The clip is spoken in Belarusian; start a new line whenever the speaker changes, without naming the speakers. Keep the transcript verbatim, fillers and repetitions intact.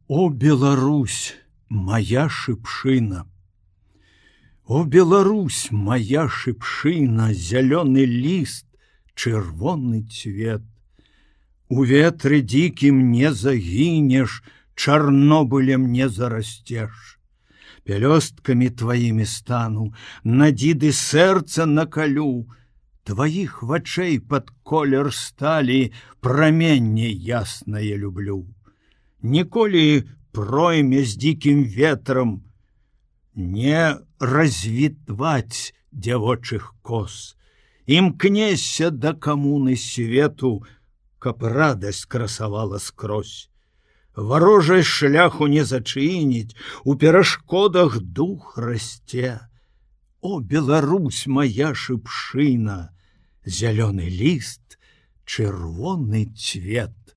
О, Беларусь, моя шыпшына! О, Беларусь, моя шыпшына, зялёны ліст, чырвоны цвет. У ветры дзікім не загінеш, Чарнобылем не зарасцеш. Пялёсткамі тваімі стану, надзіды сэрца накалю, Тваіх вачэй пад колер сталі праменне яснае люблю. Ніколі пройме з дзікім ветрам не развітваць дзявочых кос, імкнешся да камуны свету, каб радасць красавала скрозь. Варожай шляху не зачыніць, у перашкодах дух расце. О, Беларусь, моя шыпшына, зялёны ліст, чырвоны цвет.